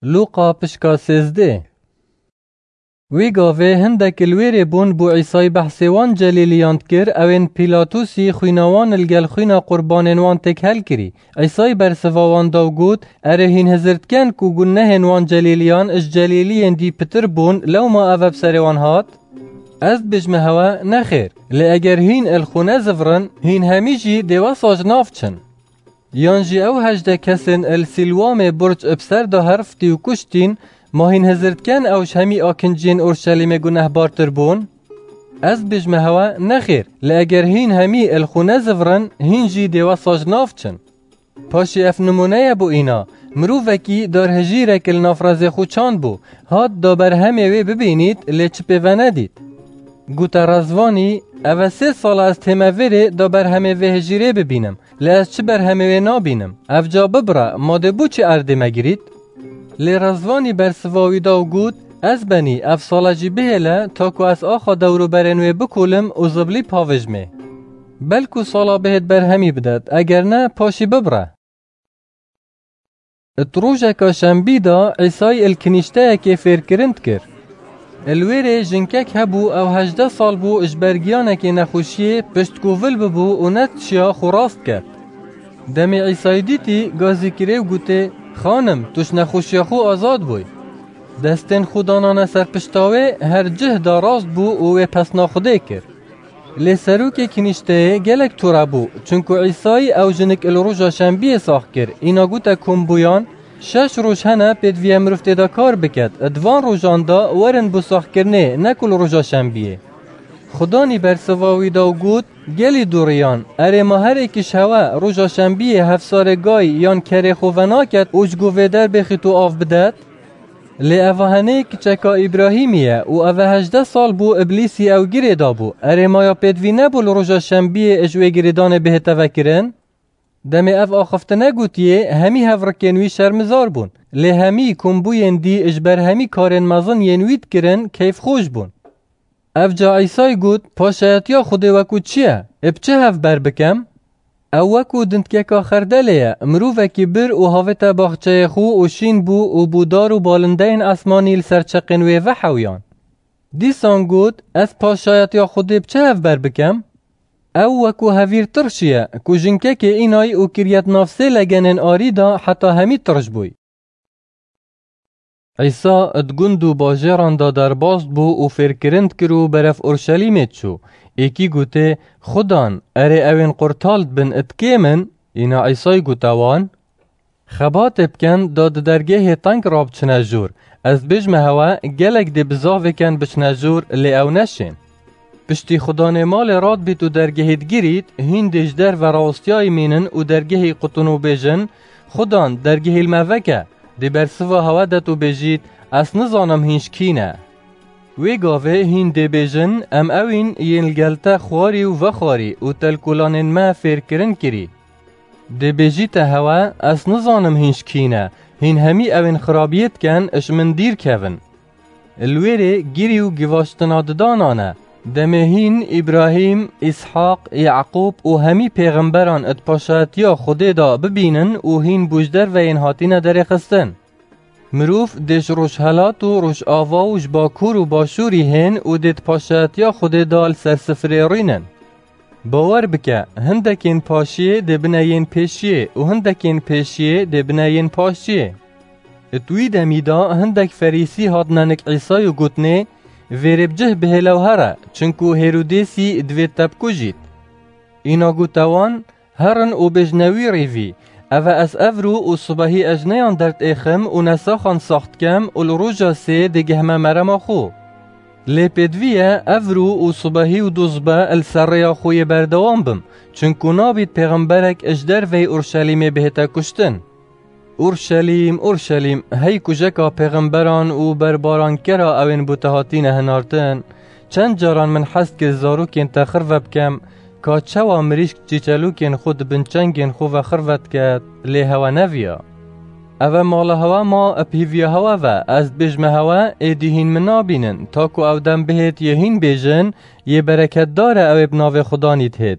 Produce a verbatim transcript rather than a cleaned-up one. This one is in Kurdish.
Lûqa pişka sêzdeh. Wî gavê hindek li wêrê bûn bû Îsayî behsê wan celîliyan dikir, ewên Pîlatusî xwîna wan li gel xwîna qurbanên wan têk helkirî. Îsayî bersiva wan da û got, Erê hîn hizir diken ku gunehên wan celîliyan ji celîliyên dî pitir bûn, lewma ev e bi serê wan hat? Ez dibêjme hewe, nexêr. Lê eger hîn li xwe nezivirin, hîn hemî jî dê wesa ji nav çin. Yan jî ew hejdeh kesên li Sîlwamê burc bi ser de herftî û kuştîn, ma hîn hizir diken ew ji hemî akinciyên Orşelîmê gunehbartir bûn? Ez dibêjme hewe, nexêr, lê eger hîn hemî li xwe nezivirin, hîn jî dê wesa ji nav çin. Paşê ev nimûne ye bo îna, mirovekî darhejîrek li nav rezê xwe çand bû, hat da berhemê wê bibînît, lê çi pê venedît. Gote rezvanî, Ev e sê sal e ez tême vêrê da berhemê vê hejîrê bibînim, lê ez çi berhemê wê nabînim. Ev ca bibire, ma dê bo çi erdê me girît? Lê rezvanî bersiva wî da û got, Ez benî, ev sale jî bihêle, ta ku ez axa dewroberên wê bikolim û ziblî pavêjmê. Belku sala bihêt berhemî bidet, eger ne, paşî bibire. Di rojeka şembî de Îsayî li kinîşteyekê fêrkirin dikir. Li wêrê jinkek hebû, ew hejdeh sal bû ji ber giyanekê nexweşiyê piştkovil bibû û nedişiya xwe rast ket. Demê Îsayî dîtî, gazî kirê û gotê, Xanim, tu ji nexweşiya xwe azad bûyî. Destên xwe danane ser pişta wê, her cih da rast bû û wê pesna Xwedê kir. Lê serokê kinîşteyê gelek tore bû, çunku Îsayî ew jinik li roja şembiyê sax kir, îna gote kombûyan, Şeş roj hene pêdivî ye mirov tê de kar biket, di van rojan de werin bo saxkirinê, ne ku li roja şembiyê. Xudanî bersiva wî da û got, Gelî dûriyan, erê ma her êkî ji hewe roja şembiyê hevsarê gay yan kerê xwe venaket û ji go vê derbê xît û av bidet? Lê eva henê kiçeka Îbrahîmî ye û eve hejdeh sal bû Îblîsî ew girê dabû. Erê maya pêdivî nebû li roja şembiyê ji wê girêdanê bihête vekirin? Demê ev axifte negotiyê, hemî hevrikên wî şermizar bûn. Lê hemî kombûyên dî ji ber hemî karên mezin yên wî dikirin keyfxweş bûn. Ev ca Îsay got, Paşayetiya Xwedê wekû çi ye? Ê bi çi hev ber bikem? Ew wekû dindkeka xerdelê ye, mirovekî bir û havête baxçeyê xwe û şîn bû û bû dar û balindeyên esmanî li ser çeqên wê vehewiyan. Dîsan got, Ez paşayetiya Xwedê bi çi hev ber bikem? Ew wekû hevîr tirşî ye, ku jinkekê înay û kiriye di nav sê legenên arî de heta hemî tirş bûy. Îsa di gund û bajêran de derbas bû û fêrkirin dikir û berev Orşelîmê diçû. Êkî gotê, Xudan, erê ewên qurtal dibin, di kêm in? Îna Îsay gote wan, Xebatê bikin da di dergehê teng rabiçine jor. Ez dibêjme hewe, gelek dê bizavê ken biçine jor, lê ew neşên. Piştî xudanê malê radbît û dergehê digirît, hîn dê ji derve rawestiyayî mînin û dergehê qutin û bêjin, Xudan, dergehê li me veke. Dê bersiva hewe det û bêjît, Ez nizanim hîn ji kî ne. Wê gavê hîn dê bêjin, Em ewîn yên li gel te xwarî û vexwarî û telkolanên me fêrkirin kirî. Dê bêjîte hewe, Ez nizanim hîn ji kî ne, hîn hemî ewên xirabiyê diken, ji min dîr kevin. Li wêrê girî û givaştina didanan e. Demê hîn Îbrahîm, Îshaq, Yaqûb û hemî pêxemberan di paşayetiya Xwedê de bibînin û hîn bû ji derve yên hatine derêxistin. Mirov dê ji rojhelat û rojava û ji bakur û başûrî hên û dê di paşayetiya Xwedê de li ser sifirê rînin. Bawer bike, hindekên paşiyê dê bine yên pêşiyê û hindekên pêşiyê dê bine yên paşiyê. Di wî demî de hindek ferîsî hatine nik Îsay û gotinê, Vêrê bi cih bihêle û here, çinku Hêrodêsî divê te bikujît. Îna gote wan, Herin û bêjne wî rîvî, Eve ez evro û sibehî ez ne yan derdêxim û ne saxan sax dikem û li roja sê digihme merema xwe. Lê pêdivî ye evro û sibehî û dozbe li ser rêya xwe yê berdewam bim, çinku nabît pêxemberek ji derveyî Urşelîmê bihête kuştin. Urşelîm, Urşelîm, hey kujeka pêxemberan û berbarankera ewên bo te hatîne hinartin, çend caran min hez kir zarokên te xirve bikem, ka çawa mirîşk çîçelokên xwe di bin çengên xwe ve xirve diket, lê hewe neviya. Eve mala hewe ma, bi hîviya hewe ve, ez dibêjme hewe, êdî hîn min nabînin, ta ku ew dem bihêt yê hîn bêjin, Yê bereketdar e ew ê bi navê Xudanî dihêt.